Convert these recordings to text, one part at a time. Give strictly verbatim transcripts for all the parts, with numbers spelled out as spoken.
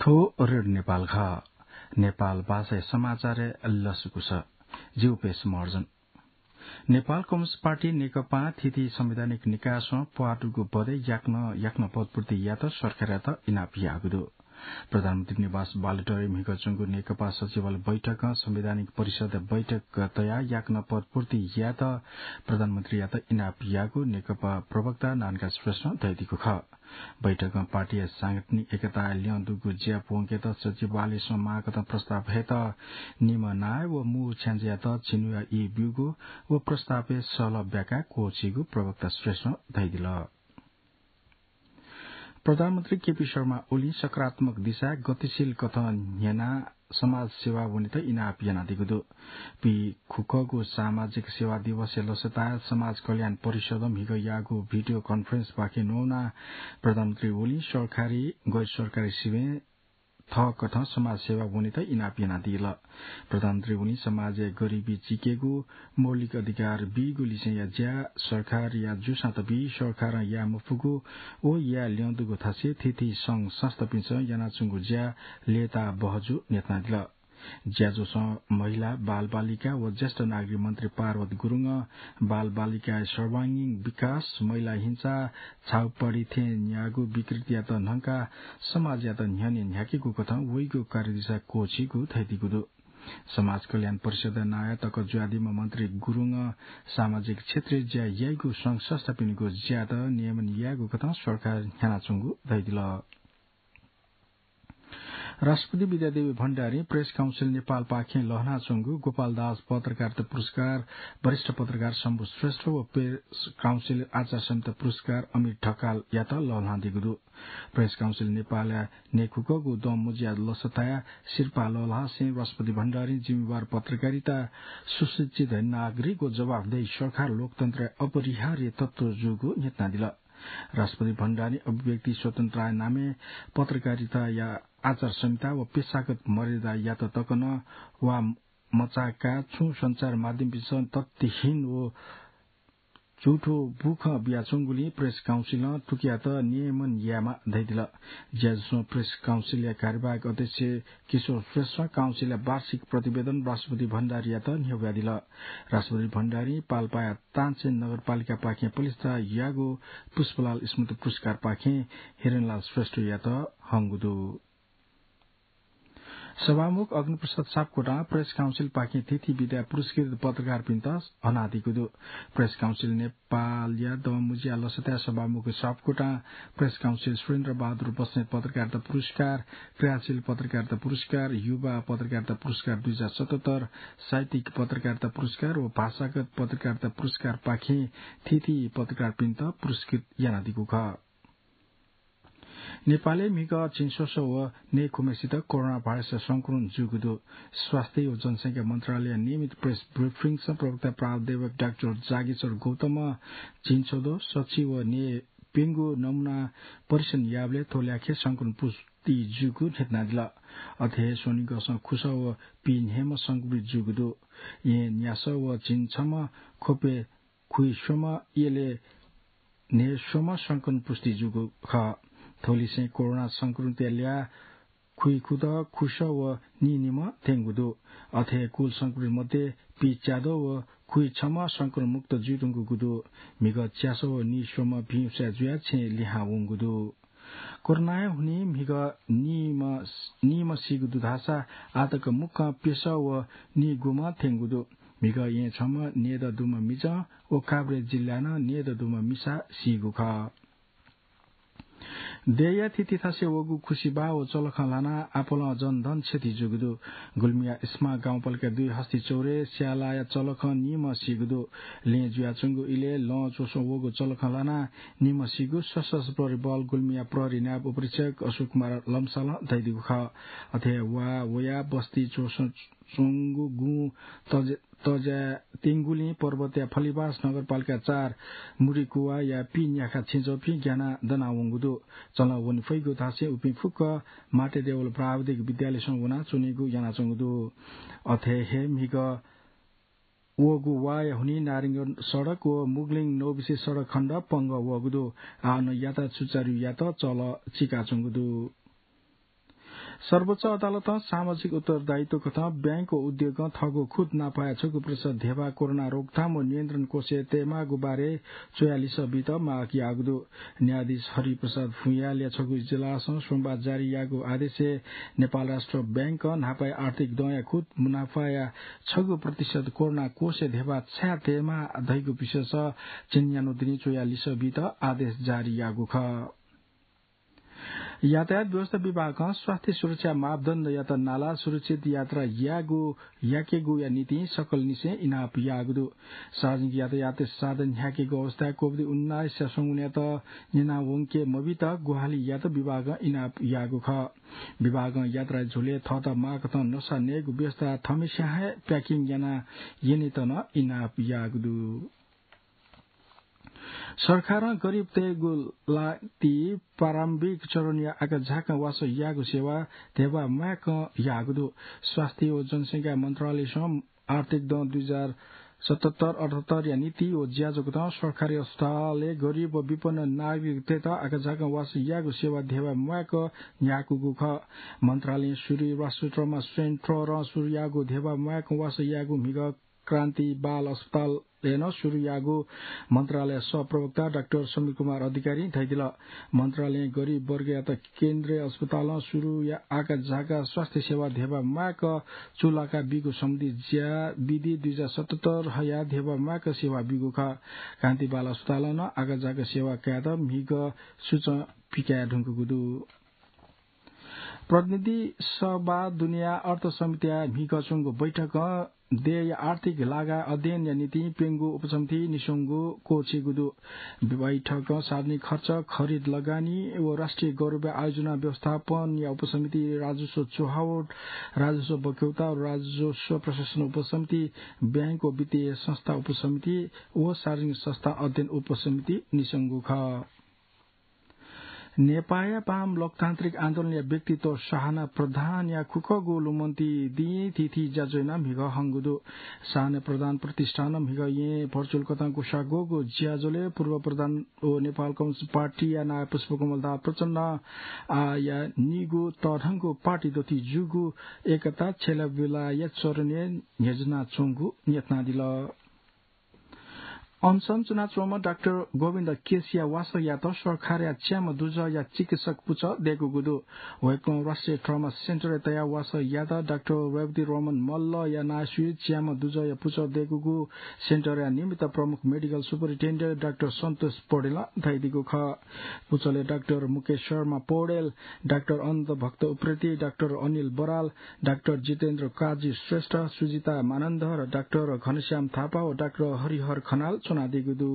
थ्व रेडियो नेपाल खः। नेपाल भाषाया समाचारय् लसकुस। जि उपेश महर्जन। नेपाल कम्युनिस्ट पार्टी नेकपां थीथी संवैधानिक निकायसं प्वाः दुगु बदे याकनं याकनं पदपूर्ति यायेत सरकारयात इनाप याःगु दु। प्रधानमन्त्री निवास बालुवाटारय् म्हिगः च्वंगु नेकपा सचिवालय बैठकं संवैधानिक परिषद बैठक तयाः याकनं पदपूर्ति यायेत प्रधानमन्त्रीयात इनाप याःगु नेकपा प्रवक्ता नारायणकाजी श्रेष्ठं धयादीगु खः। बैठकं पार्टीया सांगठनिक एकताया ल्यं दुगु ज्या प्वंकेत सचिवालयसं माःकथं प्रस्ताव हयेत निम्ह नायः व मू छ्याञ्जेयात झिन्हुया ई ब्यूगु व प्रस्तावय् सहलह ब्याकाः क्वःछीगु प्रवक्ता श्रेष्ठं धयादिल। प्रधानमन्त्री केपी शर्मा ओलीं सकारात्मक दिशाय् गतिशील कथं न्ह्यनाः समाज सेवा वनेत इनाप यानादीगु दु। पीखुक्कःगु सामाजिक सेवा दिवसया लसताय् समाज कल्याण परिषदं म्हिगः याःगु भिडियो कन्फरेन्सपाखें न्ववानाः प्रधानमन्त्री ओलीं सरकारी, गैर सरकारी सिबें थःकथं समाज सेवा वनेत इनाप यानादिल। प्रधानमन्त्री ओलीं समाजय् गरिबी चीकेगु, मौलिक अधिकार बीगु लिसेंया ज्या सरकारया जूसां तबी, सरकारं याये मफुगु व याये ल्यं दुगु थासय् थीथी संघ संस्थापिन्सं यानाच्वंगु ज्या लय्ताः बहजू न्ह्यथनादिल। ज्याझ्वलं महिला, बालबालिका व ज्येष्ठ नागरिक मन्त्री पार्वत गुरुङं बालबालिकाया सर्वाङ्गीण विकास, महिला हिंसा, छाउपडी थें न्याःगु विकृतियात न्हंकाः समाजयात न्ह्यःने न्ह्याकेगु कथं वइगु कार्यदिशा क्वःछीगु धयादीगु दु। समाज कल्याण परिषदया नायः तक जुयादीम्ह मन्त्री गुरुङं सामाजिक क्षेत्रय् ज्या याइगु संघ संस्थापिनिगु ज्यायात नियमन यायेगु कथं सरकार न्ह्यानाच्वंगु धयादिल। राष्ट्रपति विद्यादेवी भण्डारीं प्रेस काउन्सिल नेपालपाखें लःल्हानाच्वंगु गोपालदास पत्रकारिता पुरस्कार वरिष्ठ पत्रकार शम्भु श्रेष्ठ व प्रेस काउन्सिल आचार संहिता पुरस्कार अमिर ढकालयात लःल्हानादीगु दु। प्रेस काउन्सिल नेपालया न्हय्खुकःगु दँ मुँज्या लसताय् सिरपाः लःल्हासें राष्ट्रपति भण्डारीं जिम्मेवार पत्रकारिता, सुशिक्षित नागरिक व जवाफदेही सरकार लोकतन्त्रया अपरिहार्य तत्व जूगु न्ह्यथनादिल। राष्ट्रपति भण्डारीं अभिव्यक्ति स्वतन्त्रताया नामय् पत्रकारिताया आचार संहिता व पेशागत मर्यादायात तक नं वा मचाकाः छुं सञ्चार माध्यमपिन्सं तथ्यहीन व झुठो बुखँ बियाच्वंगुलिं प्रेस काउन्सिलं थुकियात नियमन यायेमाः धयादिल। ज्याझ्वलं प्रेस काउन्सिलया कार्यवाहक अध्यक्ष किशोर श्रेष्ठं काउन्सिलया वार्षिक प्रतिवेदन राष्ट्रपति भण्डारीयात न्ह्यब्वयादिल। राष्ट्रपति भण्डारीं पाल्पाया तानसेन नगरपालिकापाखें पलिस्था याःगु पुष्पलाल स्मृति पुरस्कारपाखें हिरणलाल श्रेष्ठयात हंगु दु। सभामुख अग्निप्रसाद सापकोटां प्रेस काउन्सिलपाखें थीथी विधाय् पुरस्कृत पत्रकारपिन्त हनादीगु दु। प्रेस काउन्सिल नेपालया दँ मुँज्या लसताय् सभामुख सापकोटां प्रेस काउन्सिल सुरेन्द्र बहादुर बस्नेत पत्रकारिता पुरस्कार, क्रियाशील पत्रकारिता पुरस्कार, युवा पत्रकारिता पुरस्कार दुई हजार सतहत्तर, साहित्यिक पत्रकारिता पुरस्कार व भाषागत पत्रकारिता पुरस्कारपाखें थीथी पत्रकारपिन्त पुरस्कृत यानादीगु खः। नेपालय् म्हिगः झिंस्वसः व न्हय्खुम्हेसित कोरोना भाइरस संक्रमण जूगु दु। स्वास्थ्य व जनसंख्या मन्त्रालयया नियमित प्रेस ब्रिफिङसं प्रवक्ता प्राध्यापक डाक्टर जागेश्वर गौतमं झिंछदँ, सछि व न्हय्प्यंगू नमुना परीक्षण याःबलय् थ्व ल्याखय् संक्रमण पुष्टि जूगु न्ह्यथनादिल। अथे हे स्वनिगःसं खुसः व पीन्हय्म्ह संक्रमित जूगु दु। येँ न्यासः व झिंछम्ह, ख्वपय् खुइस्वम्ह, यलय् न्हय्स्वम्ह संक्रमण पुष्टि जूगु खः। थ्वलिसें कोरोना संक्रमितया ल्याः खुइखुदँ, खुसः व नीनिम्ह थ्यंगु दु। अथे हे कुल संक्रमित मध्ये पीच्याद्वः व खुइछम्ह संक्रमण मुक्त जुइधुंकूगु दु। म्हिगः च्यासः व नीस्वम्ह भिं उसाँय् जुयाः छेँय् लिहां वंगु दु। कोरोनाया हुनिं म्हिगः नीम्ह, नीम्ह सीगु दु धाःसा आःतक मुक्कं प्यसः व नीगूम्ह थ्यंगु दु। म्हिगः येँ छम्ह, नयेदँ दुम्ह मिजं व काभ्रे जिल्लाय् नं नयेदँ दुम्ह मिसा सीगु खः। देय्‌या थीथी थासय् वःगु खुसिबाः व चलखं ल्हानाः आपालं जनधन क्षति जूगु दु। गुल्मीया इस्मा गाउँपालिका दुई हस्ती चौरय् स्यालाया चलखं नीम्ह सीगु दु। लँय् जुयाच्वंगु इलय् लं च्वसं वःगु चलखं ल्हानाः नीम्ह सीगु सशस्त्र प्रहरी बल गुल्मीया प्रहरी नायब उपरीक्षक अशोक कुमार लम्सालं धयादीगु खः। अथे हे वा वयाः बस्ती च्वसं च्वंगु गुँ तज-, तज्याः तिंगुलिं पर्वतया फलिबास नगरपालिका चार मुरिकुवाया पीन्याखा छेँजःपिं ग्यानाः दनावंगु दु। चलं वने फइगु धासें उपिं फुक्क माटे देवल प्राविधिक विद्यालयसं वनाच्वनेगु यानाच्वंगु दु। अथे हे म्हिगः वःगु वाया हुनिं नारायणगढ सडक व मुगलिङ नौबिसे सडक खण्ड पंगः वःगु दु। आः नं यातायात सुचारु यायेत चलं चिकाच्वंगु दु। सर्वोच्च अदालतं सामाजिक उत्तरदायित्व कथं ब्यांक व उद्योगं थःगु खुद नापाया छगू प्रतिशत धेबा कोरोना रोकथाम व नियन्त्रण कोषय् तयेमाःगु बारे च्वयाः लिसः बीत माग याःगु दु। न्यायाधीश हरिप्रसाद भुँइयालया छगू इजलासं सोमबार जारी याःगु आदेशय् नेपाल राष्ट्र ब्यांकं न्हापाया आर्थिक दँया खुद मुनाफाया छगू प्रतिशत कोरोना कोषय् धेबा छाय् तयेमाः धइगु विषयस झिंन्यान्हु दुने च्वयाः लिसः बीत आदेश जारी याःगु खः। यातायात व्यवस्था विभागं स्वास्थ्य सुरक्षा मापदण्डयात नाला सुरक्षित यात्रा यायेगु, याकेगुया निंतिं सकलनिसें इनाप याःगु दु। सार्वजनिक यातायात साधन न्ह्याकेगु अवस्थाय् कोभिड उन्नाइस संक्रमणयात न्यना वंके मबीत ग्वाहालि यायेत विभागं इनाप याःगु खः। विभागं यात्रा झ्वलय् थःत माःकथं नसा नयेगु व्यवस्था थम्हस्यां हे packing याना यनेत नं इनाप याःगु दु। सरकारं गरिबतय्गु लाति प्रारम्भिक चरणया आकाझाकं वासः यायेगु सेवा धेबा म्वायेकं याःगु दु। स्वास्थ्य व जनसंख्या मन्त्रालयसं आर्थिक दँ दुई हजार सतहत्तर अठहत्तरया निंतिं व ज्याझ्वः कथं सरकारी अस्पतालय् गरिब व विपन्न नागरिकतय्त आकाझाकं वासः यायेगु सेवा धेबा म्वायेकं न्ह्याकूगु खः। मन्त्रालयं सुरुइ राष्ट्रिय तहमा स्वयं तहरं सुरु याःगु धेबा म्वायेकं वासः यायेगु म्हिगः क्रान्ति बाल अस्पतालय् नं सुरु याःगु मन्त्रालय सहप्रवक्ता डाक्टर समीर कुमार अधिकारीं धयादिल। मन्त्रालयं गरिब वर्गयात केन्द्रीय अस्पतालं सुरु या आकाझाका स्वास्थ्य सेवा धेबा म्वायेकं चूलाका बीगु सम्बन्धी ज्या विधि दुई हजार सतहत्तर हया धेबा म्वायेकं सेवा बीगु खः। क्रान्ति बाल अस्पतालं नं आकाझाका सेवा कायेत म्हिगः सूचं पिकाये धुंकूगु दु। प्रतिनिधि सभा दुनेया अर्थ समितिया म्हिगः च्वंगु बैठकं देय्या आर्थिक लागाय् अध्ययनया निंतिं प्यंगू उपसमिति निस्वंगु क्वःछिइगु दु। बैठकं सार्वजनिक खर्च, खरिद लगानी व राष्ट्रिय गौरवया आयोजना व्यवस्थापनया उपसमिति, राजस्व चुहावट, राजस्व बक्यौता व राजस्व प्रशासन उपसमिति, ब्यांक व वित्तीय संस्था उपसमिति व सार्वजनिक संस्था अध्ययन उपसमिति निस्वंगु खः। नेपाःया बाम लोकतान्त्रिक आन्दोलनया व्यक्तित्व साहना प्रधानया खुखःगु लुमन्ति दिं थीथी ज्याझ्वः यानाः म्हिगः हंगु दु। साहना प्रधान प्रतिष्ठानं म्हिगः येँय् भर्चुअल कथं ग्वसाः ग्वःगु ज्याझ्वलय् पूर्व प्रधान व नेपाल कम्युनिस्ट पार्टीया नायः पुष्पकमल दाहाल प्रचण्डं आःया निगू तःधंगु पार्टी दथुइ जूगु एकता छ्यलाबिलाया चरणय् न्ह्यज्यानाच्वंगु न्ह्यथनादिल। अनसन च्वनाच्वंम्ह डाक्टर गोविन्द केसीया वासःयात सरकारया च्याम्ह दुजःया चिकित्सक पुचः दय्कूगु दु। वय्कलं राष्ट्रिय ट्रमा सेन्टरय् तयाः वासः याःगु डाक्टर रेवती रमण मल्लया नायःसुइ च्याम्ह दुजःया पुचः दय्कूगु सेन्टरया निमित्त प्रमुख मेडिकल सुपरिन्टेन्डेन्ट डाक्टर सन्तोष पौडेलं धयादीगु खः। पुचलय् डाक्टर मुकेश शर्मा पौडेल, डाक्टर अनन्त भक्त उप्रेती, डाक्टर अनिल बराल, डाक्टर जितेन्द्र काजी श्रेष्ठ, सुजिता मानन्धर, डाक्टर घनश्याम थापा व डाक्टर हरिहर खनाल च्वनादीगु दु।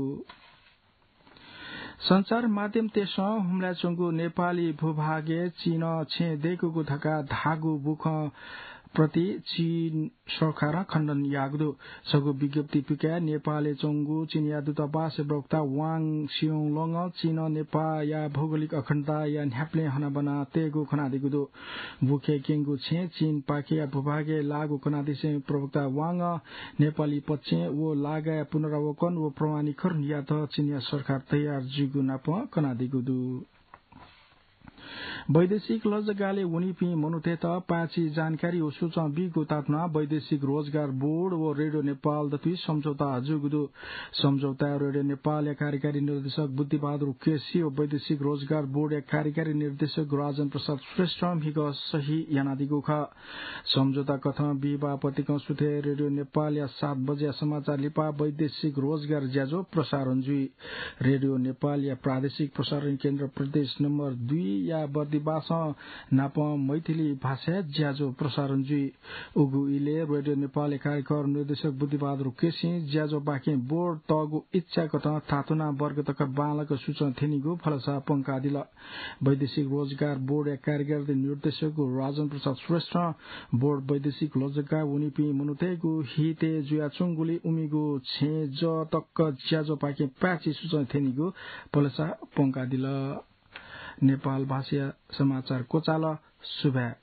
सञ्चार माध्यमतय्सं हुम्लाय् च्वंगु नेपाली भूभागय् चीनं छेँ दय्कूगु धकाः धाःगु बुखँ प्रति चीन सरकारं खण्डन याःगु दु। छगू विज्ञप्ति पिकयाः नेपालय् च्वंगु चीनया दूतावासया प्रवक्ता वाङ सियोङलोङं चीनं नेपाःया भौगोलिक अखण्डताया न्ह्याबलें हनाबना तयेगु खनादीगु दु। बुखँय् क्यंगु छेँ चीनपाखेया भूभागय् लाःगु खनादिसें प्रवक्ता वाङं नेपाली पक्षं व लागाया पुनरावलोकन व प्रमाणीकरण यायेत चीनया सरकार तयार जूगु नापं कनादीगु दु। वैदेशिक लजगालय् वनीपिं मनूतय्त पाय्छि जानकारी व सूचना बीगु तातुनाः वैदेशिक रोजगार बोर्ड व रेडियो नेपाल दथुइ सम्झौता जूगु दु। सम्झौताय् रेडियो नेपालया कार्यकारी निर्देशक बुद्धिबहादुर केसी व वैदेशिक रोजगार बोर्डया कार्यकारी निर्देशक राजन प्रसाद श्रेष्ठं म्हिगः सही यानादीगु खः। सम्झौता कथं बिहिबाः पतिकं सुथय् रेडियो नेपालया सात बजेया समाचार लिपा वैदेशिक रोजगार ज्याझ्वः प्रसारण जुइ। रेडियो नेपालया प्रादेशिक प्रसारण केन्द्र प्रदेश नम्बर दुईया बर्दिबासं नापं मैथिली भाषाय् ज्याझ्वः प्रसारण जुइ। उगु इलय् रेडियो नेपालया कार्यक्रम निर्देशक बुद्धिबहादुर केसीं ज्याझ्वःपाखें बोर्ड तःगु इच्छा कथं थातुना वर्ग तक बांलाक सूचना थ्यनीगु भलसा पंकादिल। वैदेशिक रोजगार बोर्डया कार्यकारी निर्देशक राजन प्रसाद श्रेष्ठं बोर्ड वैदेशिक लजगालय् वनीपिं मनूतय्गु हितय् जुयाच्वंगुलिं उमिगु छेँजः तक ज्याझ्वःपाखें पाय्छि सूचना थ्यनीगु भलसा पंकादिल। नेपाल भाषाया समाचार क्वचाल। सुभाय्।